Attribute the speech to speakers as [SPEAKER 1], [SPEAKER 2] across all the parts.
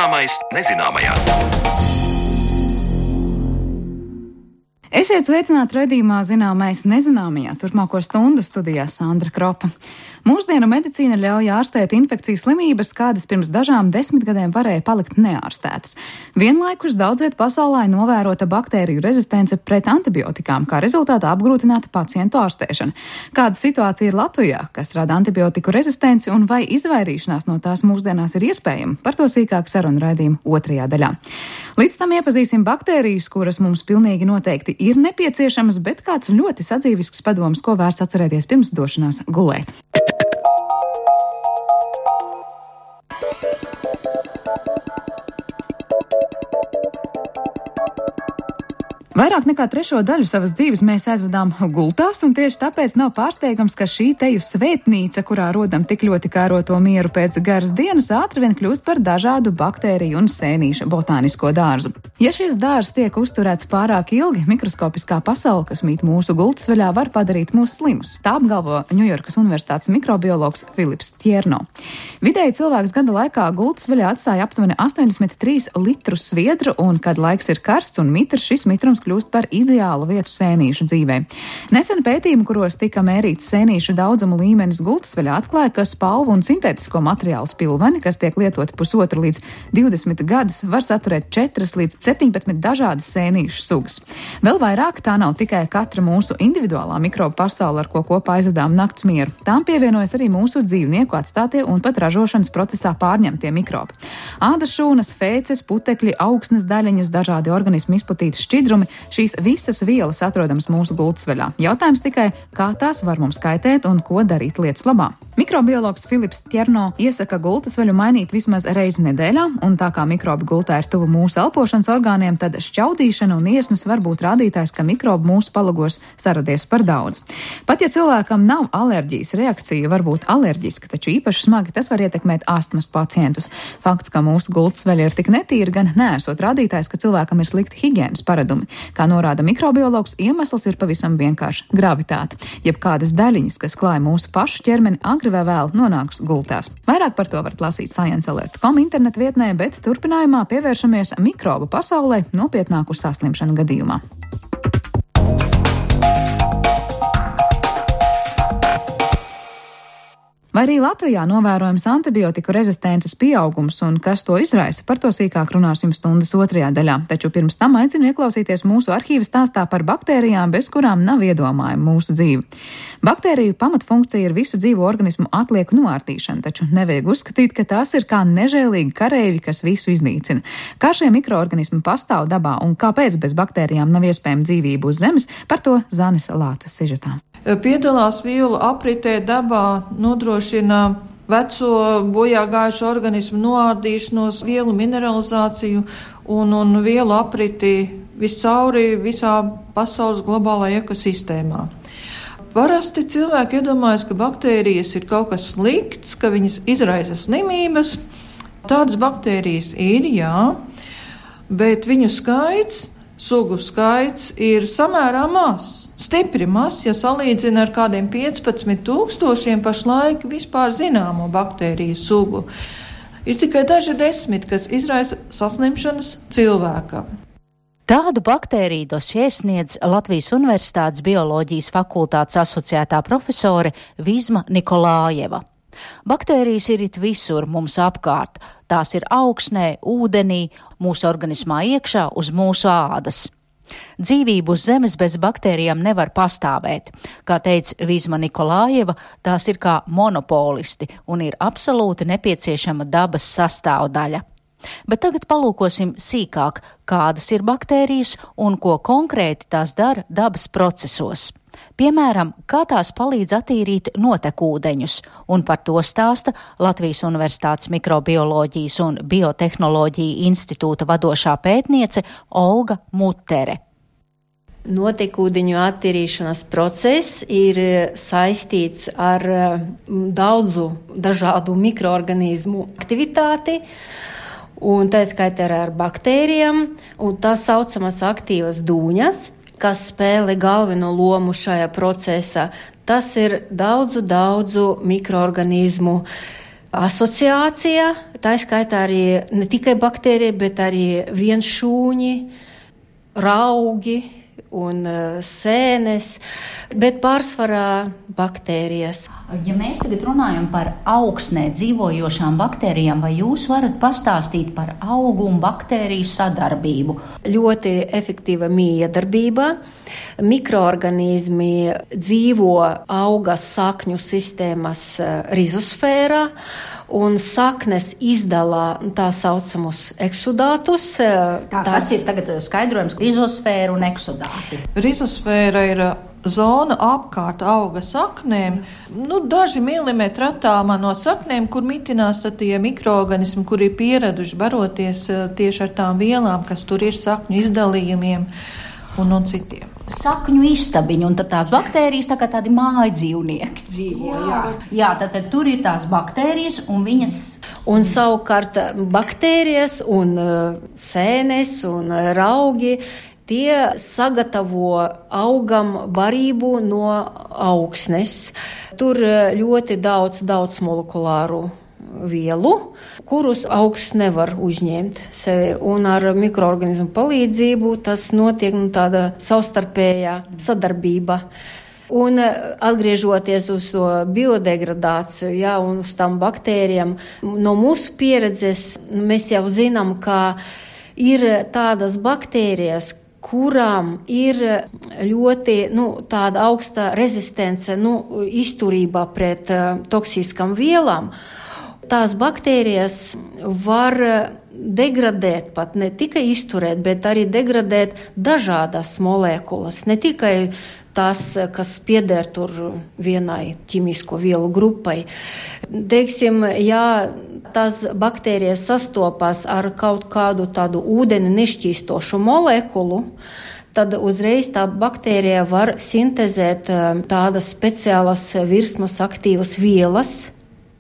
[SPEAKER 1] Zināmais nezināmajā.
[SPEAKER 2] Esiet sveicināti raidījumā Zināmais nezināmajā. Turpmāko stundu studijā Sandra Kropa. Mūsdienu medicīna ļauj ārstēt infekcijas slimības, kādas pirms dažām desmitgadēm varēja palikt neārstētas. Vienlaikus daudz viet pasaulē novērota baktēriju rezistence pret antibiotikām, kā rezultātā apgrūtināta pacientu ārstēšana. Kāda situācija ir Latvijā, kas rada antibiotiku rezistenci un vai izvairīšanās no tās mūsdienās ir iespējama? Par to sīkāk sarunu raidījuma otrajā daļā. Līdz tam iepazīsim baktērijas, kuras mums pilnīgi noteikti ir nepieciešamas, bet kāds ļoti sadzīvisks padoms, ko vērts atcerēties pirms došanās gulēt. Vairāk nekā trešo daļu savas dzīves mēs aizvadām gultās, un tieši tāpēc nav pārsteigams, ka šī teju svētnīca, kurā rodam tik ļoti kāroto mieru pēc garas dienas, ātri vien kļūst par dažādu baktēriju un sēnīšu botānisko dārzu. Ja šis dārzs tiek uzturēts pārāk ilgi, mikroskopiskā pasaule, kas mīt mūsu gultas vaļā, var padarīt mūs slimus. Tā apgalvo Ņujorkas Universitātes mikrobiologs Filips Tjerno. Vidēji cilvēks gada laikā gultas vaļā atstāja aptuveni 83 litrus sviedru, un, kad laiks ir karsts un mitrs, šis mitrums kļūst par ideālu vietu sēnīšu dzīvē. Nesen pētījumi, kuros tika mērīts sēnīšu daudzumu līmenis gultas vaļā, atklāja, ka spalvu un sintētisko materiālu spilveni, kas tiek lietoti 1,5 līdz 20 gadus, var saturēt 4 līdz 17 dažādas sēnīšu sugas. Vēl vairāk tā nav tikai katra mūsu individuālā mikrobu pasaule, ar ko kopā aizvadām nakts mieru. Tām pievienojas arī mūsu dzīvnieku atstātie un pat ražošanas procesā pārņemtie mikrobi. Ādas šūnas, fēces, putekļi, augsnes daļiņas, dažādi organismu izplatīti šķidrumi. Šīs visas vielas atrodamas mūsu gultas vaļā. Jautājums tikai, kā tās var mums kaitēt un ko darīt lietas labā. Mikrobiologs Filips Tjerno iesaka gultas vaļu mainīt vismaz reizi nedēļā, un tā kā mikrobi gultā ir tuvu mūsu elpošanas orgāniem, tad šķaudīšana un iesnas var būt rādītājs, ka mikrobi mūsu palagos saradies par daudz. Pat ja cilvēkam nav alerģijas reakcija, var būt alerģiska, taču īpaši smagi tas var ietekmēt astmas pacientus. Fakts, ka mūsu gultas vaļa ir tik netīra, gan neesot rādītājs, ka cilvēkam ir slikti higienas paradumi. Kā norāda mikrobiologs, iemesls ir pavisam vienkārši - gravitāte, jeb kādas daļiņas, kas klāja mūsu pašu ķermeni, agri vai vēl nonāks gultās. Vairāk par to varat lasīt sciencealert.com internetu vietnē, bet turpinājumā pievēršamies mikrobu pasaulē nopietnāku saslimšanu gadījumā. Vai arī Latvijā novērojams antibiotiku rezistences pieaugums un kas to izraisa, par to sīkāk runāsim stundas otrajā daļā. Taču pirms tam aicinu ieklausīties mūsu arhīva stāstā par baktērijām, bez kurām nav iedomājama mūsu dzīve. Baktēriju pamatfunkcija ir visu dzīvo organismu atlieku noārtīšana, taču nevajag uzskatīt, ka tās ir kā nežēlīgi kareivi, kas visu iznīcina. Kā šie mikroorganismi pastāv dabā un kāpēc bez baktērijām nav iespējama dzīvība uz Zemes, par to Zanes Lāces sižetā.
[SPEAKER 3] Piedalās vielu apritē dabā, nodrošina veco bojā gājušo organismu noārdīšanos, vielu mineralizāciju un vielu apriti viscauri visā pasaules globālajā ekosistēmā. Parasti cilvēki iedomājas, ka baktērijas ir kaut kas slikts, ka viņas izraisa slimības. Tādas baktērijas ir, jā, bet viņu skaits, sugu skaits ir samērā mazs. Stipri maz, ja salīdzina ar kādiem 15,000 pašlaik vispār zināmo baktēriju sugu. Ir tikai daži 10, kas izraisa saslimšanas cilvēkam.
[SPEAKER 4] Tādu baktēriju dosjē sniedz Latvijas Universitātes bioloģijas fakultātes asociētā profesore Vizma Nikolājeva. Baktērijas ir it visur mums apkārt. Tās ir augsnē, ūdenī, mūsu organismā iekšā, uz mūsu ādas. Dzīvību uz Zemes bez baktērijām nevar pastāvēt. Kā teica Vizma Nikolājeva, tās ir kā monopolisti un ir absolūti nepieciešama dabas sastāvdaļa. Bet tagad palūkosim sīkāk, kādas ir baktērijas un ko konkrēti tās dara dabas procesos. Piemēram, kā tās palīdz attīrīt notekūdeņus, un par to stāsta Latvijas Universitātes mikrobioloģijas un biotehnoloģiju institūta vadošā pētniece Olga Mutere.
[SPEAKER 5] Notekūdeņu attīrīšanas process ir saistīts ar daudzu dažādu mikroorganismu aktivitāti, un tā skaitā ar baktērijām, un tā saucamas aktīvas dūņas, kas spēlē galveno lomu šajā procesā. Tas ir daudzu mikroorganismu asociācija, tā skaitā arī ne tikai baktērija, bet arī vienšūņi, raugi un sēnes, bet pārsvarā baktērijas.
[SPEAKER 4] Ja mēs tagad runājam par augsnē dzīvojošām baktērijām, vai jūs varat pastāstīt par augu un baktēriju sadarbību?
[SPEAKER 5] Ļoti efektīva miedarbība. Mikroorganizmi dzīvo auga sakņu sistēmas rizosfērā, un saknes izdala tā saucamus eksudātus.
[SPEAKER 4] Kas ir tagad skaidrojums? Rizosfēra un eksudāti.
[SPEAKER 3] Rizosfēra ir zona apkārt auga saknēm, daži milimetri attālumā no saknēm, kur mitinās tie mikroorganismi, kuri ir pieraduši baroties tieši ar tām vielām, kas tur ir sakņu izdalījumiem un citiem.
[SPEAKER 4] Sakņu istabiņu, un tad tās baktērijas tā kā tādi mājdzīvnieki dzīvo. Jā, tad tur ir tās baktērijas, un viņas...
[SPEAKER 5] Un savukārt baktērijas un sēnes un raugi, tie sagatavo augam barību no augsnes. Tur ļoti daudz molekulāru vielu, kurus augs nevar uzņemt sevi, un ar mikroorganismu palīdzību tas notiek tāda savstarpējā sadarbība. Un atgriežoties uz to biodegradāciju, un uz tām baktērijām, no mūsu pieredzes mēs jau zinām, ka ir tādas baktērijas, kurām ir ļoti tāda augsta rezistence, izturībā pret toksiskām vielām. Tās baktērijas var degradēt, pat ne tikai izturēt, bet arī degradēt dažādas molekulas, ne tikai tās, kas pieder tur vienai ķimisko vielu grupai. Teiksim, ja tās baktērijas sastopas ar kaut kādu tādu ūdeni nešķīstošu molekulu, tad uzreiz tā baktērija var sintezēt tādas speciālas virsmas aktīvas vielas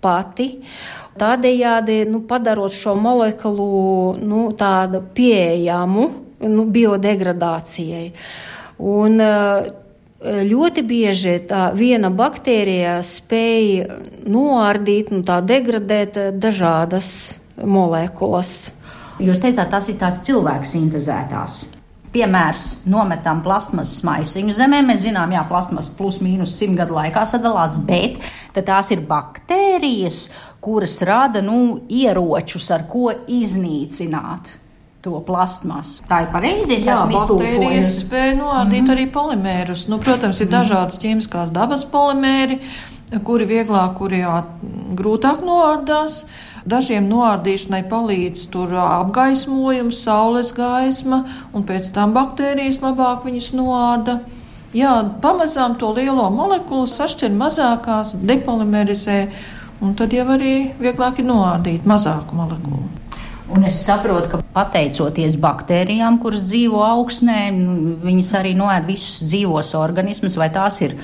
[SPEAKER 5] pati, tādējādi padarot šo molekulu tādu pieejamu biodegradācijai. Un ļoti bieži tā viena baktērija spēj noārdīt, tā degradēt dažādas molekulas.
[SPEAKER 4] Jūs teicāt, tas ir tās cilvēku sintezētās. Piemērs, nometam plastmasas maisiņu zemē, mēs zinām, plastmas plus mīnus 100 gadu laikā sadalās, bet tad tās ir baktērijas, kuras rada, ieročus, ar ko iznīcināt to plastmasu. Tā ir pareizi, es esmu iztulkojis.
[SPEAKER 3] Baktērijas spēj noārdīt arī polimērus. Protams, ir dažādas ķīmiskās dabas polimēri, kuri vieglāk, kuri grūtāk noārdās. Dažiem noārdīšanai palīdz tur apgaismojums, saules gaisma, un pēc tam baktērijas labāk viņas noārda. Pamazām to lielo molekulu sašķir mazākās, depolimerizē, un tad jau arī vieglāk ir noārdīt mazāku molekulu.
[SPEAKER 4] Un es saprotu, ka pateicoties baktērijām, kuras dzīvo augsnē, viņas arī noēd visus dzīvos organismus, vai tās ir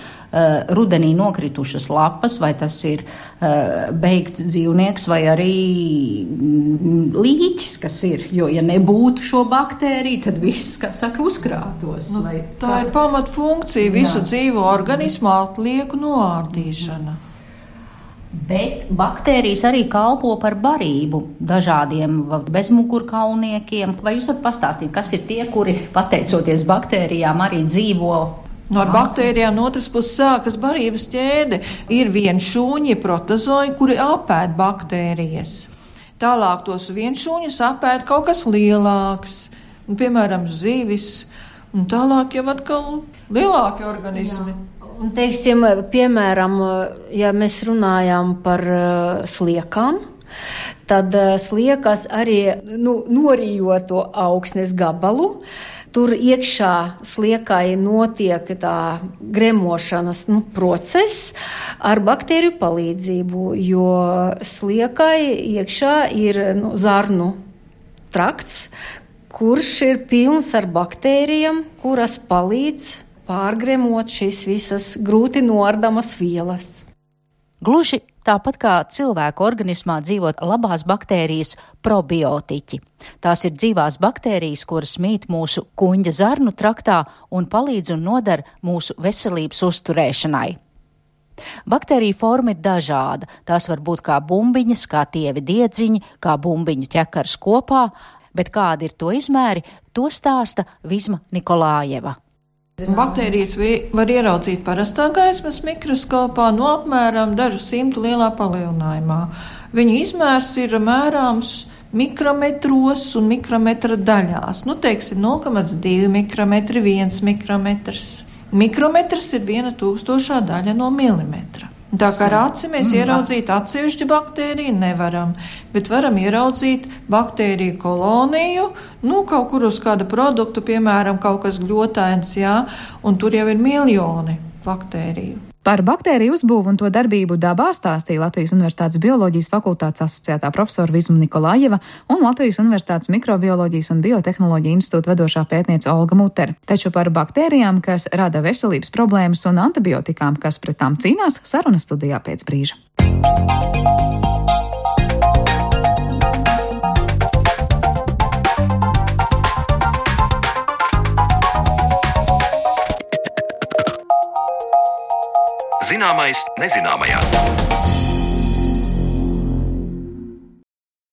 [SPEAKER 4] rudenī nokritušas lapas, vai tas ir beigts dzīvnieks, vai arī līķis, kas ir. Jo, ja nebūtu šo baktēriju, tad viss, kā saka, uzkrātos.
[SPEAKER 3] Tā ir pamatfunkcija visu dzīvo organismu atlieku noārdīšana.
[SPEAKER 4] Bet baktērijas arī kalpo par barību dažādiem bezmugurkaulniekiem. Vai jūs varat pastāstīt, kas ir tie, kuri, pateicoties baktērijām, arī dzīvo?
[SPEAKER 3] Ar baktērijām no otras puses sākas barības ķēde. Ir vienšūņi, protozoi, kuri apēd baktērijas. Tālāk tos vienšūņus apēd kaut kas lielāks, piemēram, zivis, un tālāk jau atkal lielāki organismi.
[SPEAKER 5] Un, teiksim, piemēram, ja mēs runājam par sliekām, tad sliekas arī norījot to augsnes gabalu. Tur iekšā sliekai notiek tā gremošanas process ar baktēriju palīdzību, jo sliekai iekšā ir zarnu trakts, kurš ir pilns ar baktērijām, kuras palīdz pārgremot šīs visas grūti noardamas vielas.
[SPEAKER 4] Gluži tāpat kā cilvēku organismā dzīvot labās baktērijas probiotiķi. Tās ir dzīvās baktērijas, kuras mīt mūsu kuņģa zarnu traktā un palīdz un nodara mūsu veselības uzturēšanai. Baktēriju forma ir dažāda. Tās var būt kā bumbiņas, kā tievi diedziņi, kā bumbiņu ķekars kopā, bet kādi ir to izmēri, to stāsta Vizma Nikolājeva.
[SPEAKER 3] Baktērijas var ieraudzīt parastā gaismas mikroskopā no apmēram dažu simtu lielā palielinājumā. Viņu izmērs ir mērāms mikrometros un mikrometra daļās. Teiksim, 0,2 mikrometri, 1 mikrometrs. Mikrometrs ir 1/1000 daļa no milimetra. Tā kā ar aci mēs ieraudzīt atsevišķu baktēriju nevaram, bet varam ieraudzīt baktēriju koloniju, kaut kur uz kāda produktu, piemēram, kaut kas gļotains, un tur jau ir miljoni baktēriju.
[SPEAKER 2] Par baktēriju uzbūvu un to darbību dabā stāstīja Latvijas Universitātes bioloģijas fakultātes asociētā profesora Vizma Nikolājeva un Latvijas Universitātes mikrobioloģijas un biotehnoloģija institūta vadošā pētniece Olga Mutere. Taču par baktērijām, kas rada veselības problēmas, un antibiotikām, kas pret tām cīnās, sarunas studijā pēc brīža.
[SPEAKER 1] Zināmais nezināmajā.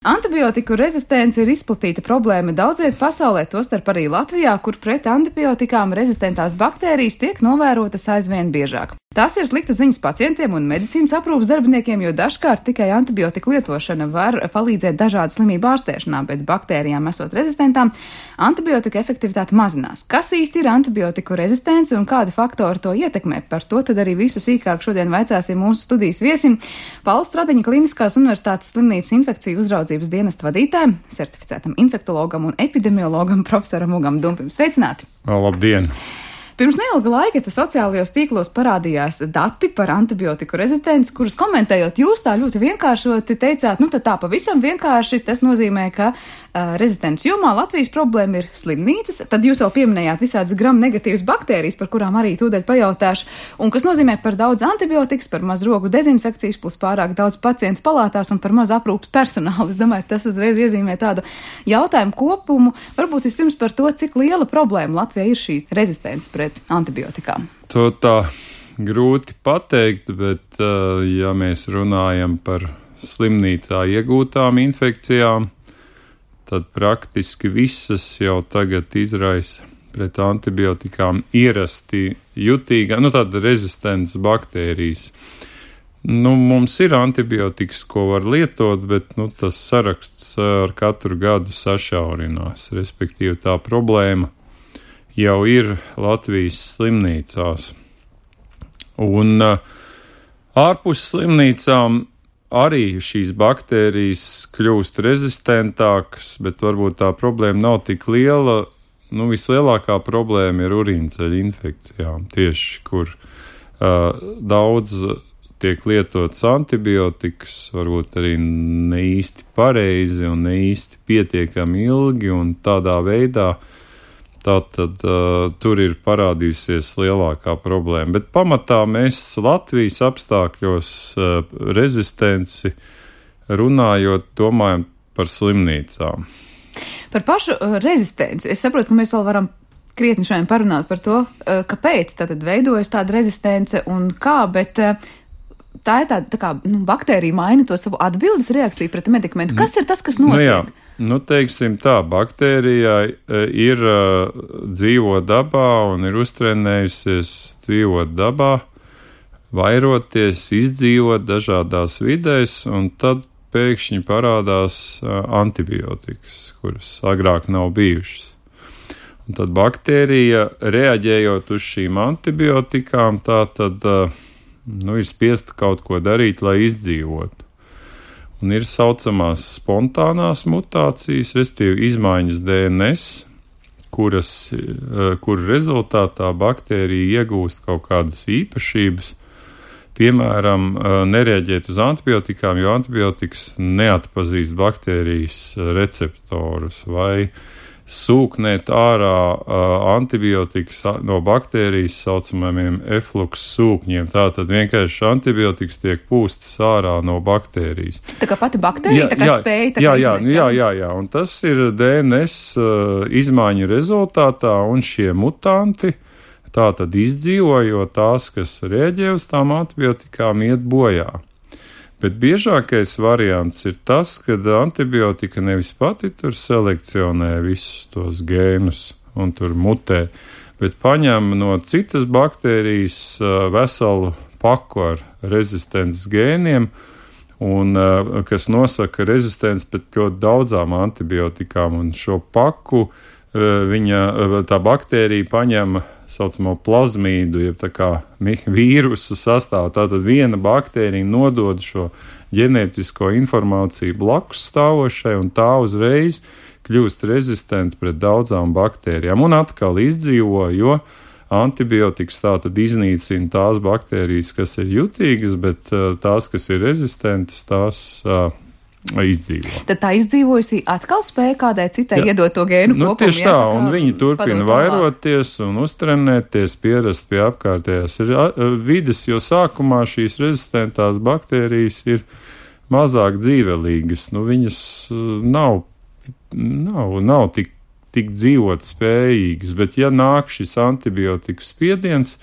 [SPEAKER 2] Antibiotiku rezistence ir izplatīta problēma daudz viet pasaulē, tostarp arī Latvijā, kur pret antibiotikām rezistentās baktērijas tiek novērotas aizvien biežāk. Tās ir sliktas ziņas pacientiem un medicīnas aprūpas darbiniekiem, jo dažkārt tikai antibiotiku lietošana var palīdzēt dažādu slimību ārstēšanā, bet baktērijām esot rezistentām, antibiotiku efektivitāte mazinās. Kas īsti ir antibiotiku rezistence un kādi faktori to ietekmē? Par to tad arī visu sīkāk šodien vaicāsim mūsu studijas viesim Paula Stradiņa Kliniskās universitātes slimnīcas infekciju uzraudzības dienesta vadītājiem, certificētam infektologam un epidemiologam profesoram Ugam Dumpim. Sveicināti!
[SPEAKER 6] Labdien!
[SPEAKER 2] Pirms neilga laika sociālajos tīklos parādījās dati par antibiotiku rezistenci, kurus komentējot jūs tā ļoti vienkāršoti teicāt, tad tā pavisam vienkārši tas nozīmē, ka rezistences jomā Latvijas problēma ir slimnīcas, tad jūs vēl pieminējāt visādas gram negatīvas baktērijas, par kurām arī tūdaļ pajautāšu, un kas nozīmē par daudz antibiotikas, par maz rogu dezinfekcijas, plus pārāk daudz pacientu palātās un par maz aprūpas personālu. Es domāju, tas uzreiz iezīmē tādu jautājumu kopumu. Varbūt vispirms par to, cik liela problēma Latvijā ir šī rezistence pret antibiotikām.
[SPEAKER 6] To tā grūti pateikt, bet ja mēs runājam par slimnīcā iegūtām infekcijām, tad praktiski visas jau tagad izraisa pret antibiotikām ierasti jutīgā, tāda rezistents baktērijas. Mums ir antibiotikas, ko var lietot, bet tas saraksts ar katru gadu sašaurinās, respektīvi tā problēma jau ir Latvijas slimnīcās. Un ārpus slimnīcām arī šīs baktērijas kļūst rezistentākas, bet varbūt tā problēma nav tik liela. Vislielākā problēma ir urīnceļa infekcijām, tieši kur daudz tiek lietotas antibiotikas, varbūt arī ne īsti pareizi un ne īsti pietiekami ilgi, un tādā veidā tātad tur ir parādījusies lielākā problēma. Bet pamatā mēs Latvijas apstākļos rezistenci runājot, domājam par slimnīcām.
[SPEAKER 2] Par pašu rezistenci. Es saprotu, ka mēs vēl varam krietni šodien parunāt par to, kāpēc tātad veidojas tāda rezistence un kā, bet tā ir tā kā baktērija maina to savu atbildes reakciju pret medikamentu. Kas ir tas, kas notiek?
[SPEAKER 6] Teiksim tā, baktērijai ir dzīvot dabā un ir uztrenējusies dzīvot dabā, vairoties, izdzīvot dažādās vidēs, un tad pēkšņi parādās antibiotikas, kuras agrāk nav bijušas. Un tad baktērija, reaģējot uz šīm antibiotikām, tā tad ir spiesta kaut ko darīt, lai izdzīvotu. Un ir saucamās spontānās mutācijas, respektīvi izmaiņas DNS, kuru rezultātā baktērija iegūst kaut kādas īpašības, piemēram, nereaģēt uz antibiotikām, jo antibiotikas neatpazīst baktērijas receptorus, vai sūknēt ārā antibiotikas no baktērijas saucamajiem eflux sūkņiem. Tātad vienkārši antibiotikas tiek pūstas ārā no baktērijas.
[SPEAKER 2] Tā kā pati baktērija spēja izmest.
[SPEAKER 6] Jā, un tas ir DNS izmaiņu rezultātā, un šie mutanti, tā tad izdzīvo, jo tās, kas rēģē uz tām antibiotikām, iet bojā. Bet biežākais variants ir tas, kad antibiotika nevis pati tur selekcionē visus tos gēnus un tur mutē, bet paņem no citas baktērijas veselu paku ar rezistences gēniem, un kas nosaka rezistents pret ļoti daudzām antibiotikām, un šo paku tā baktērija paņem saucamo plazmīdu, jeb tā kā vīrusu sastāvu. Tātad viena baktērija nodod šo ģenētisko informāciju blakus stāvošai, un tā uzreiz kļūst rezistenta pret daudzām baktērijām. Un atkal izdzīvo, jo antibiotikas tātad iznīcina tās baktērijas, kas ir jutīgas, bet tās, kas ir rezistentas, tās izdzīvo.
[SPEAKER 2] Tad tā izdzīvojusī atkal spēja kādai citai iedot to gēnu kopumu.
[SPEAKER 6] Tieši tā, un viņi turpina vairoties un uztrenēties, pierast pie apkārtējās vides, jo sākumā šīs rezistentās baktērijas ir mazāk dzīvelīgas. Viņas nav tik dzīvot spējīgas, bet ja nāk šis antibiotiku spiediens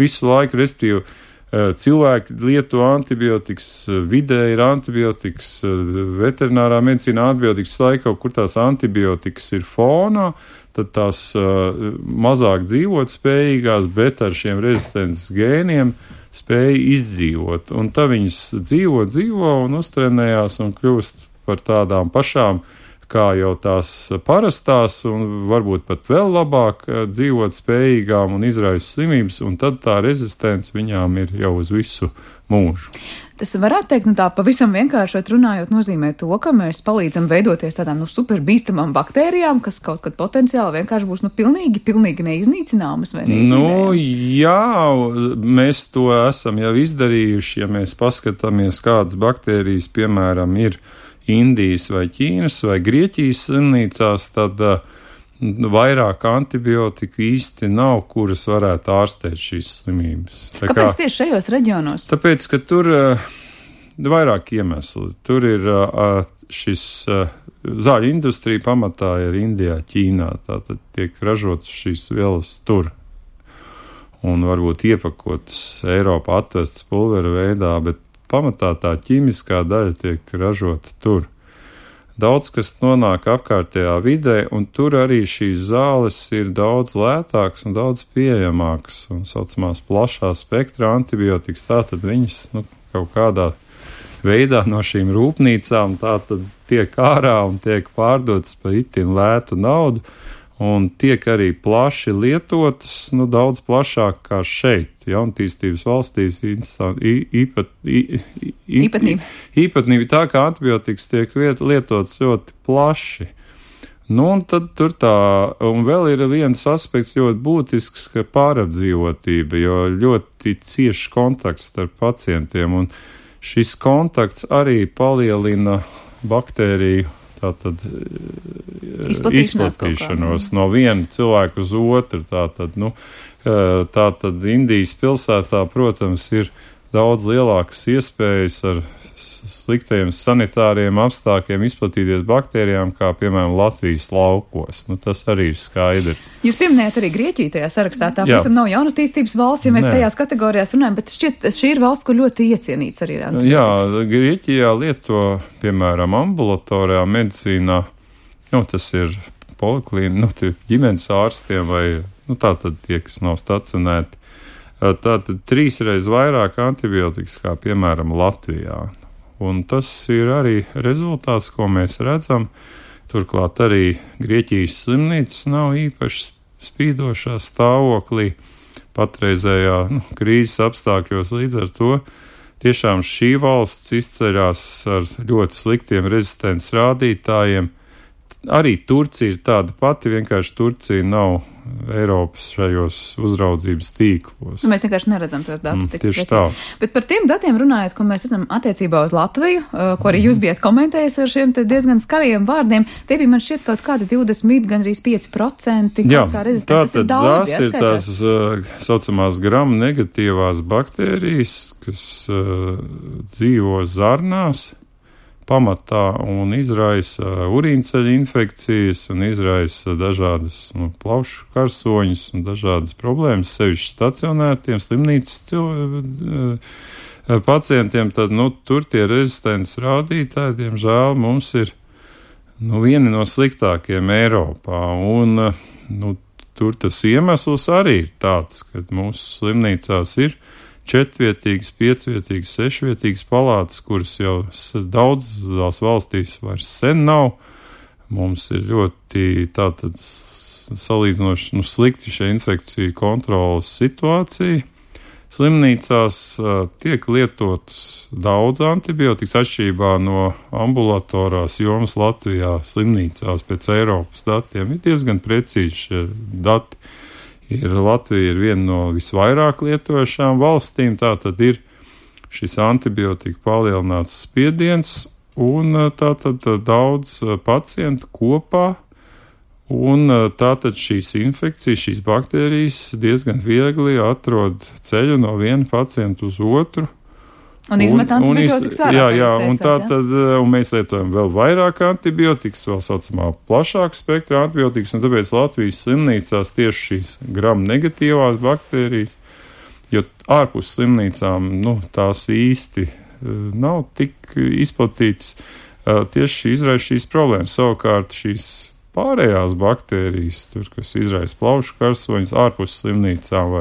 [SPEAKER 6] visu laiku, respektīvi, cilvēki lieto antibiotikas, vidē ir antibiotikas, veterinārā medicīnā antibiotikas laikā, kur tās antibiotikas ir fonā, tad tās mazāk dzīvot spējīgās, bet ar šiem rezistences gēniem spēja izdzīvot. Un tā viņas dzīvo un uztrenējās un kļūst par tādām pašām, kā jau tās parastās, un varbūt pat vēl labāk dzīvot spējīgām un izraisa slimības, un tad tā rezistence viņām ir jau uz visu mūžu.
[SPEAKER 2] Tas varētu teikt, tā pavisam vienkāršot runājot, nozīmē to, ka mēs palīdzam veidoties tādām super bīstamām baktērijām, kas kaut kad potenciāli vienkārši būs pilnīgi neiznīcināmas vai neiznīdējamas.
[SPEAKER 6] Jā, mēs to esam jau izdarījuši, ja mēs paskatāmies, kādas baktērijas, piemēram, ir Indijas vai Ķīnas vai Grieķijas slimnīcās, tad vairāk antibiotiku īsti nav, kuras varētu ārstēt šīs slimības.
[SPEAKER 2] Kāpēc tieši šajos reģionos?
[SPEAKER 6] Tāpēc, ka tur vairāk iemesli. Tur ir šis zāļu industrija pamatā ir Indijā, Ķīnā, tātad tiek ražotas šīs vielas tur. Un varbūt iepakotas Eiropā atvestas pulvera veidā, bet pamatā tā ķīmiskā daļa tiek ražota tur. Daudz, kas nonāk apkārtējā vidē, un tur arī šīs zāles ir daudz lētākas un daudz pieejamākas, un saucamās plašā spektra antibiotikas, tātad viņas kaut kādā veidā no šīm rūpnīcām tātad tiek ārā un tiek pārdotas par itin lētu naudu, un tiek arī plaši lietotas, daudz plašāk kā šeit. Jaunatīstības valstīs īpatnība tā, ka antibiotikas tiek lietotas ļoti plaši. Un tad tur un vēl ir viens aspekts ļoti būtisks, ka pārapdzīvotība, jo ļoti ciešs kontakts starp pacientiem, un šis kontakts arī palielina baktēriju tātad izplatīšanos no viena cilvēka uz otru. Tātad Indijas pilsētā, protams, ir daudz lielākas iespējas ar sliktajiem sanitāriem apstākļiem izplatīties baktērijām, kā, piemēram, Latvijas laukos. Tas arī ir skaidrs.
[SPEAKER 2] Jūs pieminējat arī Grieķiju tajā sarakstā. Tā, protams, nav jaunatīstības valsts, ja mēs tajās kategorijās runājam, bet šķiet, šī ir valsts, kur ļoti iecienīts arī ir antibiotikas. Jā,
[SPEAKER 6] Grieķijā lieto, piemēram, ambulatorijā medicīnā, tas ir poliklīna, ģimenes ārstiem vai, tātad tie, kas nav stacionēti, tātad 3 reizes vairāk antibiotikas, kā, piemēram, Latvijā. Un tas ir arī rezultāts, ko mēs redzam. Turklāt arī Grieķijas slimnīcas nav īpaši spīdošā stāvoklī patreizējā krīzes apstākļos. Līdz ar to tiešām šī valsts izceļās ar ļoti sliktiem rezistences rādītājiem. Arī Turcija ir tāda pati, vienkārši Turcija nav Eiropas šajos uzraudzības tīklos.
[SPEAKER 2] Mēs vienkārši neredzam tos datus.
[SPEAKER 6] Tieši tā.
[SPEAKER 2] Bet par tiem datiem runājot, ko mēs redzam attiecībā uz Latviju, ko arī jūs bijat komentējis ar šiem diezgan skarajiem vārdiem, tie bija man šķiet kaut kādi 20, gandrīz 5%.
[SPEAKER 6] Jā,
[SPEAKER 2] kā rezistents. Tas ir daudz,
[SPEAKER 6] tās ir tās saucamās gram negatīvās baktērijas, kas dzīvo zarnās. pamatā un izraisa urīnceļa infekcijas un izraisa dažādas plaušu karsoņus un dažādas problēmas, sevišķi stacionētiem slimnīcas pacientiem, tad, tur tie rezistences rādītāji, diemžēl, mums ir, vieni no sliktākiem Eiropā, un, tur tas iemesls arī ir tāds, ka mūsu slimnīcās ir 4-vietīgas, 5-vietīgas, 6-vietīgas palātas, kuras jau daudzās valstīs vairs sen nav. Mums ir ļoti tātad salīdzinoši slikti šie infekciju kontrolas situācija. Slimnīcās tiek lietotas daudz antibiotikas atšķirībā no ambulatorās jomas Latvijā slimnīcās pēc Eiropas datiem. Ir diezgan precīzi šie dati. Latvija ir viena no visvairāk lietojušām valstīm, tātad ir šis antibiotika palielināts spiediens un tātad daudz pacientu kopā. Un tātad šīs infekcijas, šīs baktērijas diezgan viegli atrod ceļu no viena pacienta uz otru.
[SPEAKER 2] Un izmet antibiotikas ārā.
[SPEAKER 6] Jā, un tātad mēs lietojam vēl vairāk antibiotikas, vēl saucamā plašāka spektra antibiotikas, un tāpēc Latvijas slimnīcās tieši šīs gram negatīvās baktērijas, jo ārpus slimnīcām, tās īsti nav tik izplatīts, tieši izraisa šīs problēmas. Savukārt šīs pārējās baktērijas, kas izraisa plaušu karsoņus ārpus slimnīcām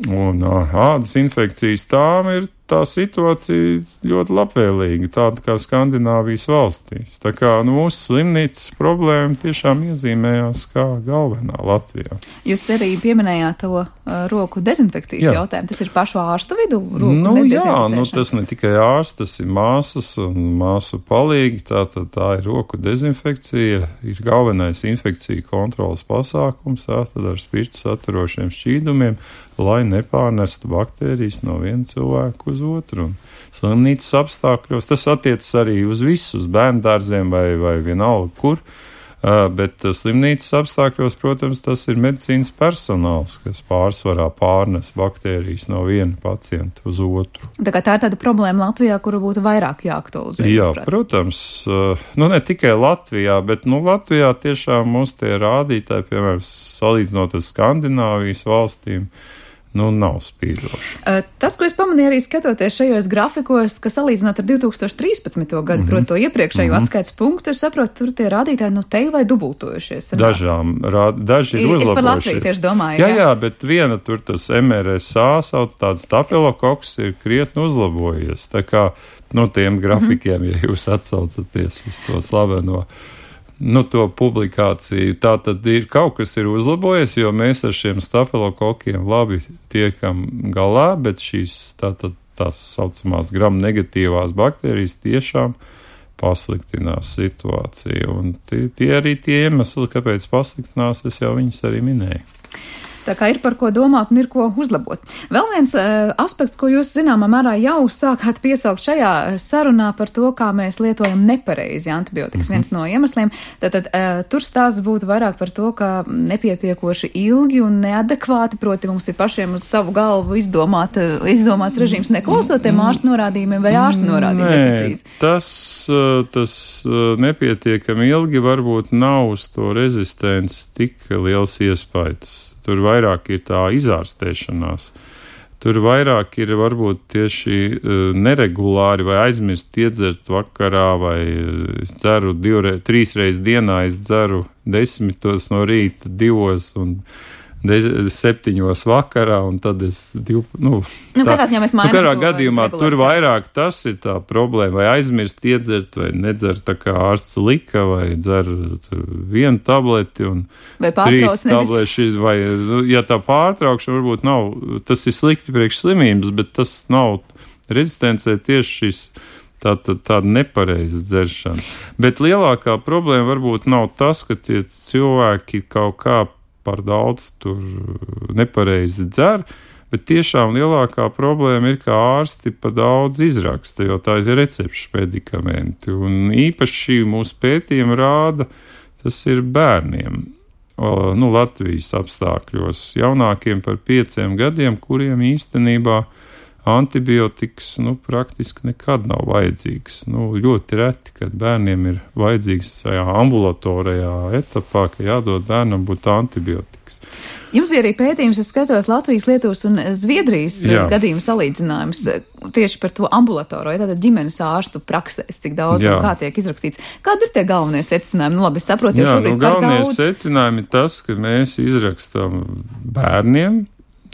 [SPEAKER 6] un ādas infekcijas, tām ir tā situācija ļoti labvēlīga, tāda kā Skandināvijas valstīs. Tā kā mūsu slimnīcas problēma tiešām iezīmējās kā galvenā Latvijā.
[SPEAKER 2] Jūs arī pieminējāt to roku dezinfekcijas jautājumu. Tas ir pašu ārstu vidū?
[SPEAKER 6] Tas ne tikai ārsts, tas ir māsas un māsu palīgi. Tā ir roku dezinfekcija, ir galvenais infekciju kontrolas pasākums, tātad ar spirtu saturošiem šķīdumiem, lai nepārnestu baktērijas no viena cilvēka uz otru. Un slimnīcas apstākļos tas attiecas arī uz visu, uz bērndārziem vai vienalga kur, bet slimnīcas apstākļos, protams, tas ir medicīnas personāls, kas pārsvarā pārnes baktērijas no viena pacienta uz otru.
[SPEAKER 2] Tā kā tā ir tāda problēma Latvijā, kuru būtu vairāk jāaktualizē.
[SPEAKER 6] Jā, protams, ne tikai Latvijā, bet Latvijā tiešām mums tie rādītāji, piemēram, salīdzinot ar Skandināvijas valstīm, nav spīdoši.
[SPEAKER 2] Tas, ko es pamanīju arī skatoties šajos grafikos, ka salīdzinot ar 2013. gadu, proti to iepriekšējo atskaites punktu, es saprotu, tur tie rādītāji te vai dubultojušies.
[SPEAKER 6] Daži ir uzlabojušies.
[SPEAKER 2] Es par Latviju tieši domāju.
[SPEAKER 6] Jā, bet viena tur tas MRSA, sauc tāds stafilokoks, ir krietni uzlabojies. Tā kā tiem grafikiem, ja jūs atsaucaties uz to slaveno to publikāciju, tā tad ir kaut kas ir uzlabojies, jo mēs ar šiem stafilokokiem labi tiekam galā, bet šīs tās saucamās gram negatīvās baktērijas tiešām pasliktinās situāciju. Un tie arī tie iemesli, kāpēc pasliktinās, es jau viņus arī minēju.
[SPEAKER 2] Tā kā ir par ko domāt un ir ko uzlabot. Vēl viens aspekts, ko jūs zināmā mērā jau sākāt piesaukt šajā sarunā par to, kā mēs lietojam nepareizi antibiotikas. Viens no iemesliem. Tātad tur stāsts būtu vairāk par to, ka nepietiekoši ilgi un neadekvāti, proti mums ir pašiem uz savu galvu izdomāts režīms neklausotiem ārstu norādījumiem vai ārstu norādījumiem neprecīzi.
[SPEAKER 6] Tas nepietiekami ilgi varbūt nav uz to rezistenci tik liels iespējas. Tur vairāk ir tā izārstēšanās. Tur vairāk ir varbūt tieši neregulāri vai aizmirst iedzert vakarā vai es dzeru 3 reizes dienā, es dzeru 10 no rīta, 2 un 7 vakarā, un tad es
[SPEAKER 2] katrā
[SPEAKER 6] gadījumā tur vairāk tas ir tā problēma, vai aizmirst iedzert, vai nedzer tā kā ārsts lika, vai dzer 1 tableti un 3 tableši, vai, ja tā pārtraukšana varbūt nav, tas ir slikti priekš slimības, bet tas nav rezistencē tieši šis tāda nepareiza dzeršana. Bet lielākā problēma varbūt nav tas, ka tie cilvēki kaut kā par daudz tur nepareizi dzer, bet tiešām lielākā problēma ir, ka ārsti pa daudz izraksta, jo tā ir recepšu medikamenti. Un īpaši mūsu pētījumi rāda, tas ir bērniem, Latvijas apstākļos, jaunākiem par 5 gadiem, kuriem īstenībā antibiotikas, praktiski nekad nav vajadzīgs. Ļoti reti, kad bērniem ir vajadzīgs šajā ambulatorijā etapā, ka jādod bērnam būt antibiotikas.
[SPEAKER 2] Jums bija arī pētījums, es skatos Latvijas, Lietuvas un Zviedrijas gadījumu salīdzinājums tieši par to ambulatoro, tātad ģimenes ārstu praksēs, cik daudz un kā tiek izrakstīts. Kādi ir tie galvenie secinājumi? Labi, es saprotu, jau šobrīd par daudz.
[SPEAKER 6] Galvenie secinājumi ir tas, ka mēs izrakstam bērniem.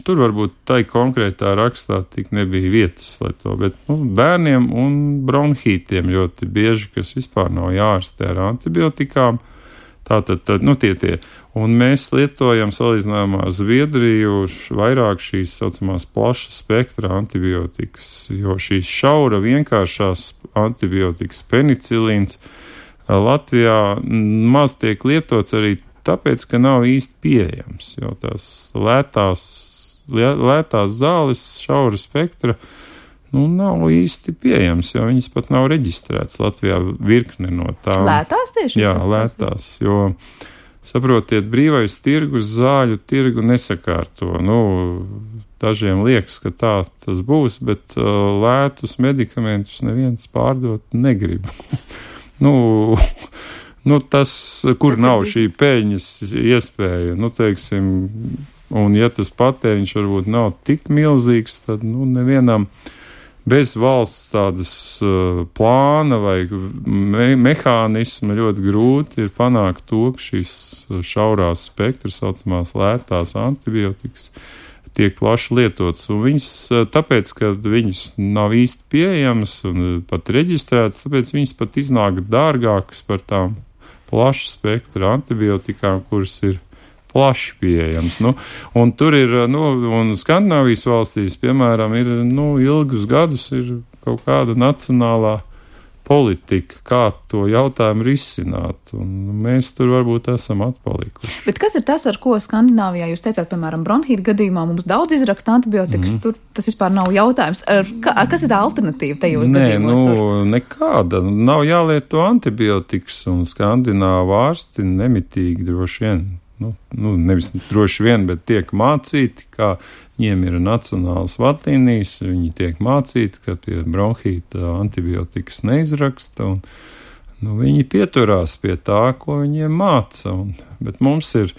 [SPEAKER 6] Tur varbūt tai konkrētā rakstā tik nebija vietas, lai to, bet bērniem un bronhītiem ļoti bieži, kas vispār nav jārastē ar antibiotikām. Tātad, tie. Un mēs lietojam salīdzinājumā ar Zviedriju vairāk šīs saucamās plaša spektra antibiotikas, jo šīs šaura vienkāršās antibiotikas penicilīns Latvijā maz tiek lietots arī tāpēc, ka nav īsti pieejams, jo tās lētās zāles šaura spektra nav īsti pieejams, jo viņas pat nav reģistrētas Latvijā virkne no tām.
[SPEAKER 2] Lētās tieši?
[SPEAKER 6] Jā, lētās, jo, saprotiet, brīvais tirgus zāļu tirgu nesakārto. Dažiem liekas, ka tā tas būs, bet lētus medikamentus neviens pārdot negrib. Tas, kur nav šī peļņas iespēja, teiksim, un ja tas patēriņš varbūt nav tik milzīgs, tad, nevienam bez valsts tādas plāna vai mehānisma ļoti grūti ir panākt to, ka šīs šaurās spektras saucamās lētās antibiotikas tiek plaši lietotas. Un viņas, tāpēc, ka viņas nav īsti pieejamas un pat reģistrētas, tāpēc viņas pat iznāk dārgākas par tām plaša spektra antibiotikām, kuras ir plaši pieejams. Un tur ir, un Skandināvijas valstīs, piemēram, ir, ilgus gadus ir kaut kāda nacionālā politika, kā to jautājumu risināt, un mēs tur varbūt esam atpalikuši.
[SPEAKER 2] Bet kas ir tas, ar ko Skandināvijā jūs teicāt, piemēram, bronhīta gadījumā mums daudz izraksta antibiotikas, tur tas vispār nav jautājums. Kas ir tā alternatīva tajos gadījumos?
[SPEAKER 6] Nekāda. Nav jālieto antibiotikas, un skandināvu ārsti nemitīgi droši vien. Nevis droši vien, bet tiek mācīti, kā viņiem ir nacionālas vadlīnijas, viņi tiek mācīti, ka pie bronhīta antibiotikas neizraksta, un viņi pieturās pie tā, ko viņiem māca. Bet mums ir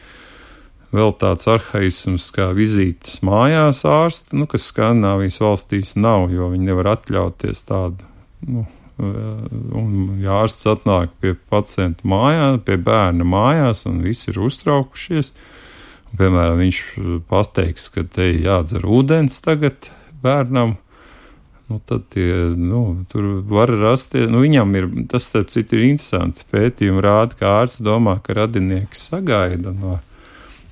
[SPEAKER 6] vēl tāds arhaisms kā vizītes mājās ārsti, kas Skandināvijas valstīs nav, jo viņi nevar atļauties tādu, un ja ārsts atnāk pie pacienta mājā, pie bērna mājās, un visi ir uztraukušies, un, piemēram, viņš pateiks, ka te jādzer ūdens tagad bērnam, tad tur var rasties, viņam ir, tas, starp citu, ir interesanti, pētījumi rāda, ka ārsts domā, ka radinieki sagaida no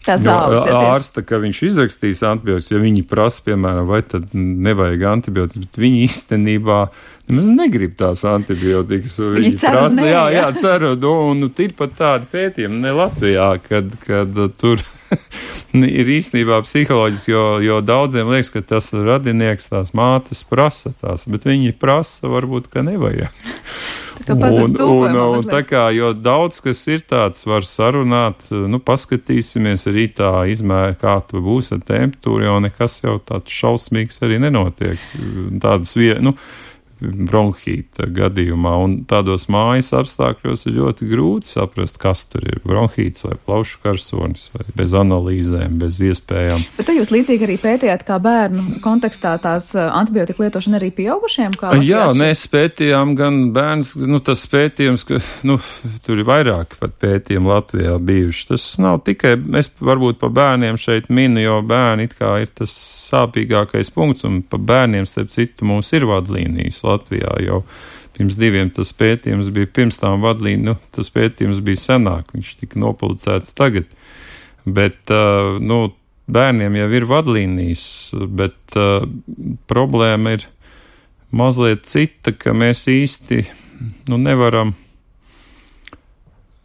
[SPEAKER 6] ārsta, ka viņš izrakstīs antibiotikas, ja viņi prasa, piemēram, vai tad nevajag antibiotikas, bet viņi īstenībā nemaz negrib tās antibiotikas. Viņi prasa, jā, ceru, un ir pat tādi pētījumi, ne Latvijā, kad tur ir īstenībā psiholoģiski, jo daudziem liekas, ka tas radinieks, tās mātes prasa tās, bet viņi prasa, varbūt, ka nevajag. Un tā kā, jo daudz, kas ir tāds, var sarunāt, paskatīsimies arī tā izmēra, kā tu būs ar temperatūru, jo nekas jau tāds šausmīgs arī nenotiek. Tādas bronhīta gadījumā, un tādos mājas apstākļos ir ļoti grūti saprast, kas tur ir bronhīts vai plaušu karsonis, vai bez analīzēm, bez iespējām.
[SPEAKER 2] Bet tu jūs līdzīgi arī pētījāt, kā bērnu kontekstā tās antibiotika lietošana arī pieaugušiem?
[SPEAKER 6] Jā, mēs pētījām gan bērns, tas pētījums, ka, tur ir vairāk pat pētījumi Latvijā bijuši. Tas nav tikai, es varbūt pa bērniem šeit minu, jo bērni it kā ir tas sāpīgākais punkts, un pa bērniem, starp citu, mums ir vadlīnijas Latvijā, jau pirms 2 tas pētījums bija pirms tām vadlīniju, tas pētījums bija senāk, viņš tika nopublicēts tagad, bet, bērniem jau ir vadlīnijas, bet problēma ir mazliet cita, ka mēs īsti, nevaram,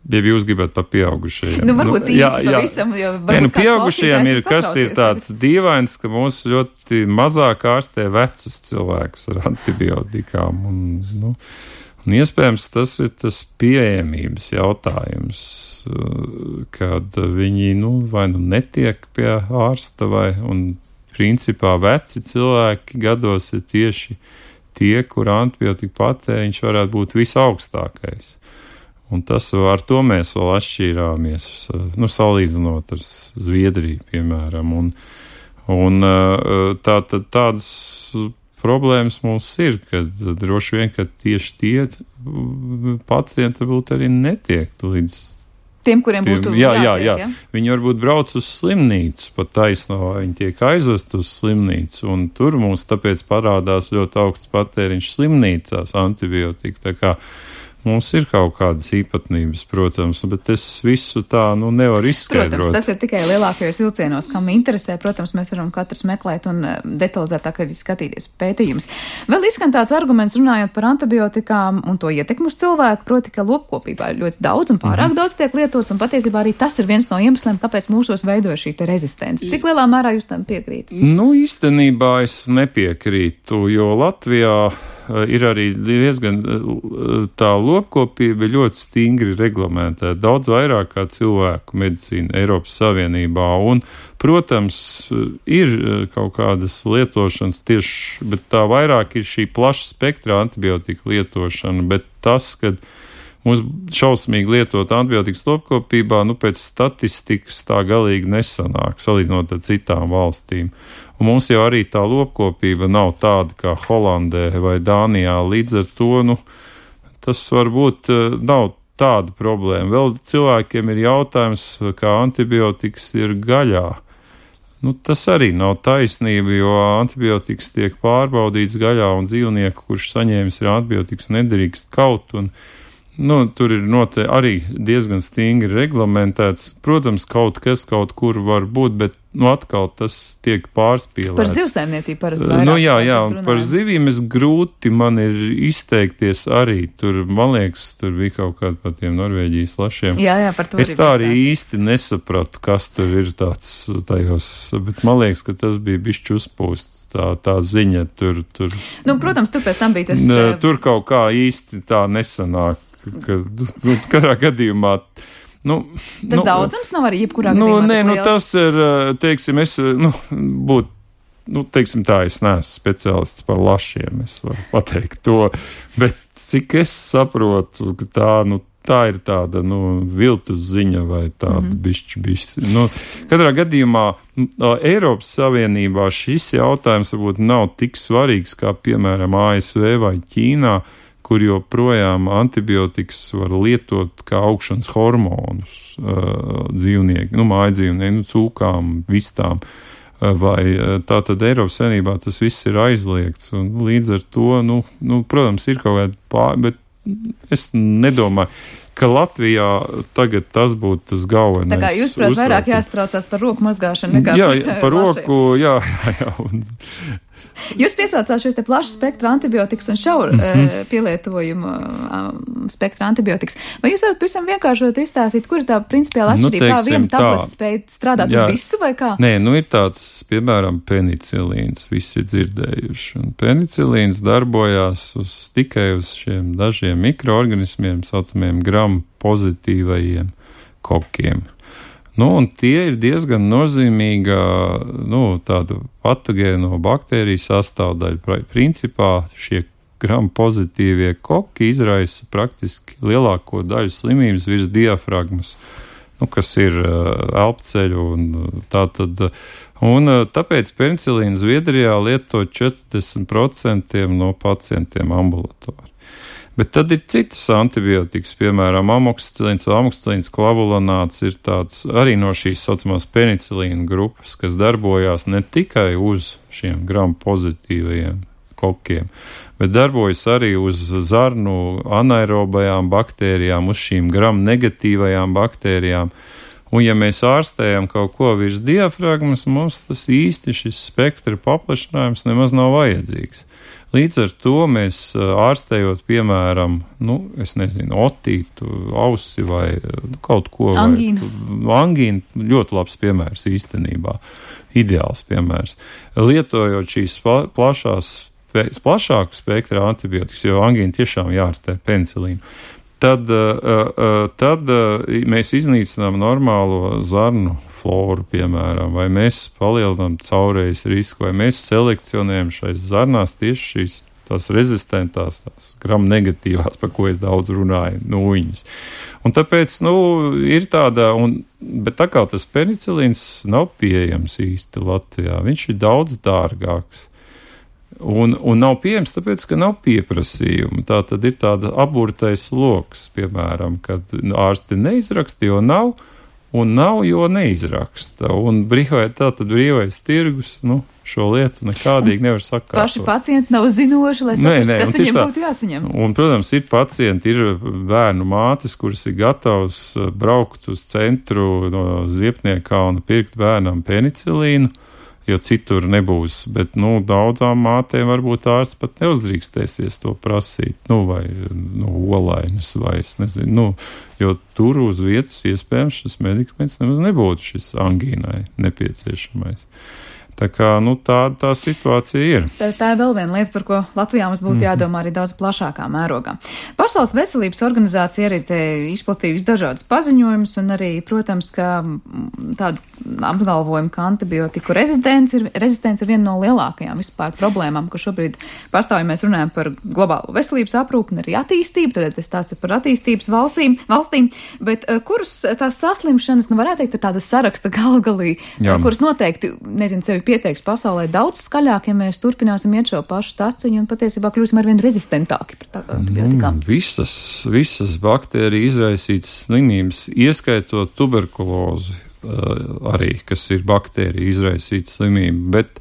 [SPEAKER 6] ja jūs gribat pa pieaugušajiem.
[SPEAKER 2] Varbūt īsti pavisam, jo varbūt
[SPEAKER 6] pieaugušajiem ir, kas ir tāds dīvains, ka mūs ļoti mazāk ārstē vecus cilvēkus ar antibiotikām. Un iespējams, tas ir tas pieejamības jautājums, kad viņi, vai netiek pie ārsta, un principā veci cilvēki gados ir tieši tie, kur antibiotika patēriņš varētu būt visaugstākais. Un tas ar to mēs vēl atšķīrāmies, salīdzinot ar Zviedriju, piemēram. Un tādas problēmas mums ir, kad droši vien, ka tieši tie pacienti varbūt arī netiek līdz
[SPEAKER 2] tiem, kuriem būtu jātiek, ja?
[SPEAKER 6] Viņi varbūt brauc uz slimnīcu, pat taisno, viņi tiek aizvest uz slimnīcu, un tur mums tāpēc parādās ļoti augsts patēriņš slimnīcās antibiotika. Tā kā mums ir kaut kādas īpatnības, protams, bet es visu tā nevaru izskaidrot.
[SPEAKER 2] Protams, tas ir tikai lielākajos vilcienos, kam interesē. Protams, mēs varam katrs meklēt un detalizētāk arī skatīties pētījumus. Vēl izskan tāds arguments runājot par antibiotikām un to ietekmu uz cilvēku, proti, ka lopkopībā ir ļoti daudz un pārāk daudz tiek lietots, un patiesībā arī tas ir viens no iemesliem, kāpēc mūsos veidoja šī rezistence. Cik lielā mērā jūs tam piekrīt?
[SPEAKER 6] Īstenībā es nepiekrītu, jo Latvijā ir arī diezgan tā lopkopība ļoti stingri reglamentēta, daudz vairāk kā cilvēku medicīna Eiropas Savienībā. Un, protams, ir kaut kādas lietošanas tieši, bet tā vairāk ir šī plaša spektra antibiotika lietošana, bet tas, kad mums šausmīgi lietot antibiotikas lopkopībā, pēc statistikas tā galīgi nesanāk, salīdzinot ar citām valstīm. Un mums jau arī tā lopkopība nav tāda kā Holandē vai Dānijā, līdz ar to, tas varbūt nav tāda problēma. Vēl cilvēkiem ir jautājums, kā antibiotikas ir gaļā. Tas arī nav taisnība, jo antibiotikas tiek pārbaudīts gaļā, un dzīvnieku, kurš saņēmis ir antibiotikas, nedrīkst kaut, un tur ir arī diezgan stingri reglamentēts. Protams, kaut kas kaut kur var būt, bet atkal tas tiek pārspīlēts.
[SPEAKER 2] Par zivsaimniecību parasti vairāk.
[SPEAKER 6] Jā, un par zivīm grūti man ir izteikties arī. Tur, man liekas, tur bija kaut kāda par tiem Norvēģijas lašiem.
[SPEAKER 2] Jā, par to
[SPEAKER 6] es tā arī īsti nesapratu, kas tur ir tāds tajos, bet man liekas, ka tas bija bišķi uzpūsts, tā ziņa tur.
[SPEAKER 2] Protams, tur pēc tam bija tas.
[SPEAKER 6] Tur kaut kā īsti tā nesanāk, ka katrā gadījumā.
[SPEAKER 2] Tas daudzums nav arī jebkurā gadījumā.
[SPEAKER 6] Tas ir, teiksim, es būtu, teiksim tā, es neesmu speciālists par lašiem, es varu pateikt to, bet cik es saprotu, ka tā ir tāda, viltus ziņa vai tāda bišķi. Katrā gadījumā Eiropas Savienībā šis jautājums varbūt nav tik svarīgs kā, piemēram, ASV vai Ķīnā, kur joprojām antibiotikas var lietot kā augšanas hormonus dzīvnieki, mājdzīvnieki, cūkām, vistām, vai tātad Eiropas Savienībā tas viss ir aizliegts, un līdz ar to, protams, ir kaut kāda bet es nedomāju, ka Latvijā tagad tas būtu tas galvenais.
[SPEAKER 2] Tā kā jūs, prāt, vairāk jāstraucās par roku mazgāšanu nekā
[SPEAKER 6] par roku, jā.
[SPEAKER 2] Jūs piesaucāt šos te plašu spektra antibiotikas un šauru pielietojumu spektra antibiotikas. Vai jūs varat pavisam vienkāršot izstāstīt, kur ir tā principiāla atšķirība? Kā viena tableta spēj strādāt uz visu vai kā? Nē,
[SPEAKER 6] ir tāds, piemēram, penicilīns, visi ir dzirdējuši. Un penicilīns darbojās tikai uz šiem dažiem mikroorganismiem, saucamiem gram pozitīvajiem kokiem. Un tie ir diezgan nozīmīga, tādu patogēno baktēriju sastāvdaļa. Principā šie gram pozitīvie koki izraisa praktiski lielāko daļu slimības virs diafragmas, kas ir elpceļu un tātad. Un tāpēc penicilīnu Zviedrijā lieto 40% no pacientiem ambulatori. Bet tad ir citas antibiotikas, piemēram, amoksicilīns, klavulanāts ir tāds arī no šīs saucamās penicilīna grupas, kas darbojās ne tikai uz šiem gram pozitīvajiem kokiem, bet darbojas arī uz zarnu anaerobajām baktērijām, uz šīm gram negatīvajām baktērijām. Un ja mēs ārstējam kaut ko virs diafragmas, mums tas īsti šis spektra paplašinājums nemaz nav vajadzīgs. Līdz ar to mēs ārstējot, piemēram, otītu, ausi vai kaut ko.
[SPEAKER 2] Angīnu.
[SPEAKER 6] Angīnu ļoti labs piemērs īstenībā, ideāls piemērs. Lietojot šīs plašāku spektra antibiotikas, jo angīnu tiešām jārastē penicilīnu. tad mēs iznīcinām normālo zarnu floru, piemēram, vai mēs palielinām caurējas risku, vai mēs selekcionējam šais zarnās tieši šīs tās rezistentās, tās gram negatīvās, par ko es daudz runāju, nūjiņas. Un tāpēc, ir tāda, bet tā kā tas penicilīns nav pieejams īsti Latvijā, viņš ir daudz dārgāks. Un nav pieejams, tāpēc, ka nav pieprasījuma. Tā tad ir tāda aburtais loks, piemēram, kad ārsti neizraksta, jo nav, un nav, jo neizraksta. Un brīvais tirgus, šo lietu nekādīgi nevar sakārtot.
[SPEAKER 2] Paši pacienti nav zinoši, lai saprastu, kas viņiem būtu jāsaņem.
[SPEAKER 6] Un, protams, ir pacienti, ir bērnu mātes, kuras ir gatavas braukt uz centru no Ziepniekā un pirkt bērnam penicilīnu, jo citur nebūs, bet, daudzām mātēm varbūt ārsts pat neuzdrīkstēsies to prasīt, vai olainas, vai es nezinu, jo tur uz vietas iespējams šis medikaments nemaz nebūtu šis angīnai nepieciešamais. Tā kā, tā situācija ir.
[SPEAKER 2] Tā ir vēl viena lieta, par ko Latvijā mums būtu jādomā arī daudz plašākā mērogā. Pasaules veselības organizācija arī te izplatījusi dažādus paziņojumus un arī, protams, ka tādu apgalvojumu, ka antibiotiku rezistence ir viena no lielākajām vispār problēmām, ka šobrīd pastāv, ja mēs runājam par globālo veselības aprūpi un arī attīstību, tad tas tās ir par attīstības valstīm, bet kuras tās saslimšanas, varētu teikt, ir tāda saraksta galgalī, kuras noteikti, sevi pieteiks pasaulē daudz skaļāk, ja mēs turpināsim iet šo pašu taciņu un patiesībā kļūsim arvien rezistentāki pret antibiotikām.
[SPEAKER 6] Visas baktēriju izraisītas slimības, ieskaitot tuberkulozi, arī, kas ir baktērija izraisīta slimība, bet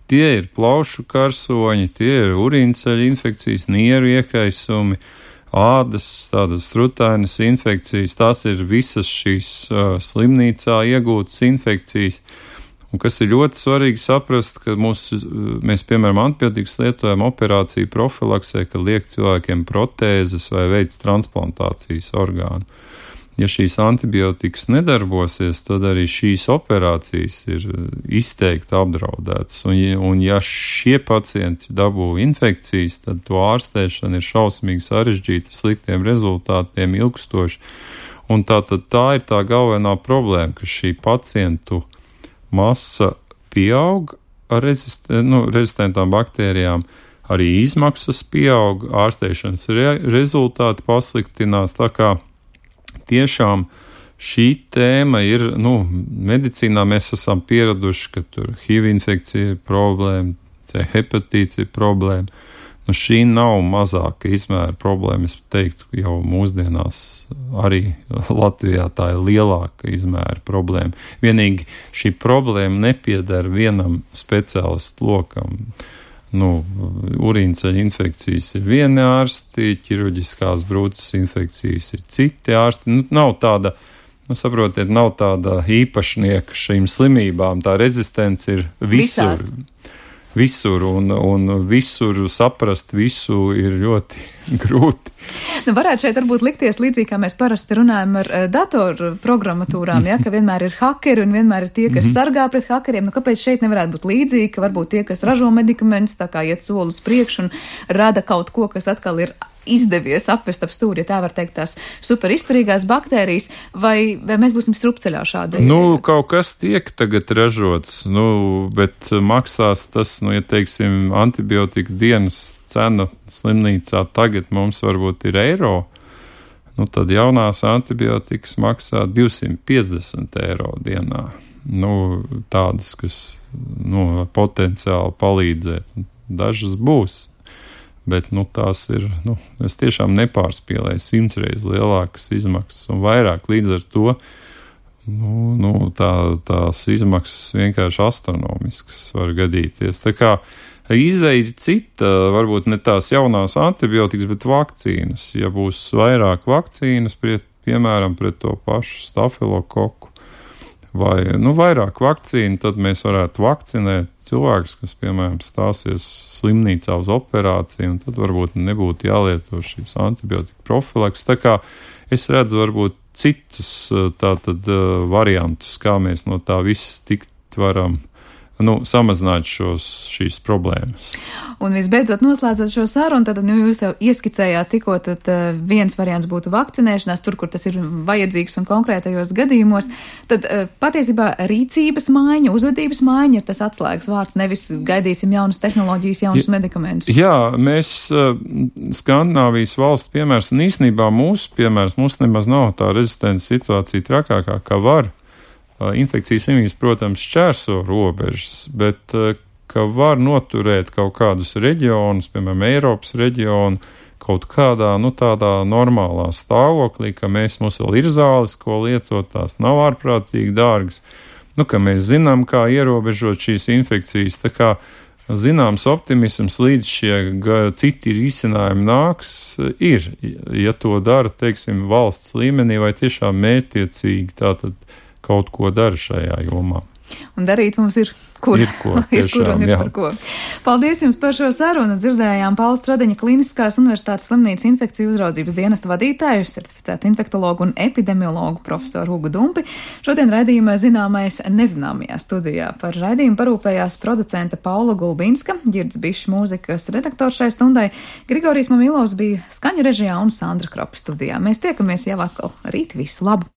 [SPEAKER 6] tie ir plaušu karsoņi, tie ir urīnceļa infekcijas, nieru iekaisumi, ādas, tādas strutainas infekcijas, tās ir visas šīs slimnīcā iegūtas infekcijas. Un kas ir ļoti svarīgi saprast, ka mēs, piemēram, antibiotikas lietojam operāciju profilaksē, kad liek cilvēkiem protēzes vai veids transplantācijas orgānu. Ja šīs antibiotikas nedarbosies, tad arī šīs operācijas ir izteikti apdraudētas. Un ja šie pacienti dabū infekcijas, tad to ārstēšana ir šausmīgi sarežģīta, sliktiem rezultātiem, ilgstoši. Un tā ir tā galvenā problēma, ka šī pacientu masa pieaug ar rezistentām baktērijām, arī izmaksas pieaug, ārstēšanas rezultāti pasliktinās, tā kā tiešām šī tēma ir, medicīnā mēs esam pieraduši, ka tur HIV infekcija ir problēma, C hepatīts ir problēma. Šī nav mazāka izmēra problēma, es teiktu, jau mūsdienās arī Latvijā tā ir lielāka izmēra problēma. Vienīgi šī problēma nepieder vienam speciālistu lokam. Urīnceļa infekcijas ir vieni ārsti, ķirurģiskās brūces infekcijas ir citi ārsti. Nav tāda, saprotiet, nav tāda īpašnieka šīm slimībām, tā rezistence ir visur. Visur, un visur saprast visu ir ļoti grūti.
[SPEAKER 2] Varētu šeit varbūt likties līdzīgi, kā mēs parasti runājam ar datoru programmatūrām, ka vienmēr ir hakeri un vienmēr ir tie, kas sargā pret hakeriem. Kāpēc šeit nevarētu būt līdzīgi, ka varbūt tie, kas ražo medikamentus, tā kā iet soli uz priekšu un rada kaut ko, kas atkal ir izdevies apvest ap stūri, ja tā var teikt, tās super izturīgās baktērijas, vai mēs būsim strupceļā šādi?
[SPEAKER 6] Kaut kas tiek tagad ražots, bet maksās tas, ja teiksim, antibiotika dienas cena slimnīcā tagad mums varbūt ir eiro, tad jaunās antibiotikas maksā 250 eiro dienā. Tādas, kas potenciāli palīdzēt. Dažas būs. Bet tās ir, es tiešām nepārspīlēju 100 reizes lielākas izmaksas un vairāk. Līdz ar to tās izmaksas vienkārši astronomiskas var gadīties. Tā kā izeja ir cita, varbūt ne tās jaunās antibiotikas, bet vakcīnas. Ja būs vairāk vakcīnas, piemēram, pret to pašu stafilokoku, vai vairāk vakcīnu, tad mēs varētu vakcinēt cilvēkus, kas, piemēram, stāsies slimnīcā uz operāciju, un tad varbūt nebūtu jālieto šīs antibiotika profilaks. Tā kā es redzu varbūt citus variantus, kā mēs no tā viss tikt varam samazināt šīs problēmas.
[SPEAKER 2] Un visbeidzot, noslēdzot šo sarunu, tad jūs jau ieskicējāt tikko, tad viens variants būtu vakcinēšanās, tur, kur tas ir vajadzīgs un konkrētajos gadījumos. Tad patiesībā rīcības maiņa, uzvedības maiņa ir tas atslēgas vārds, nevis gaidīsim jaunas tehnoloģijas, jaunus medikamentus.
[SPEAKER 6] Jā, mēs Skandināvijas valstu piemērs, un īstenībā mūsu piemērs, mums nemaz nav tā rezistents situācija trakākā, kā var. Infekcijas slimības, protams, šķērso robežas, bet ka var noturēt kaut kādus reģionus, piemēram, Eiropas reģionu, kaut kādā, tādā normālā stāvoklī, ka mums vēl ir zāles, ko lietot, tās nav ārprātīgi dārgas, ka mēs zinām, kā ierobežot šīs infekcijas, tā kā zināms optimisms līdz šie citi risinājumi nāks, ir, ja to dara, teiksim, valsts līmenī vai tiešām mērķtiecīgi tātad kaut ko dara šajā jomā.
[SPEAKER 2] Un darīt mums ir kur.
[SPEAKER 6] Ir ko, tiešām,
[SPEAKER 2] ir par ko. Paldies jums par šo sarunu. Dzirdējām Paula Stradiņa Kliniskās Universitātes slimnīcas infekciju uzraudzības dienesta vadītāju, certificētu infektologu un epidemiologu profesoru Hugu Dumpi. Šodien raidījumā Zināmais nezināmajā studijā. Par raidījumu parūpējās producente Paula Gulbinska, Ģirds Bišs mūzikas redaktors šai stundai, Grigorijs Mamilovs bija skaņu režijā un Sandra Kropa studijā. Mēs tiekamies jau atkal rīt. Visu labu!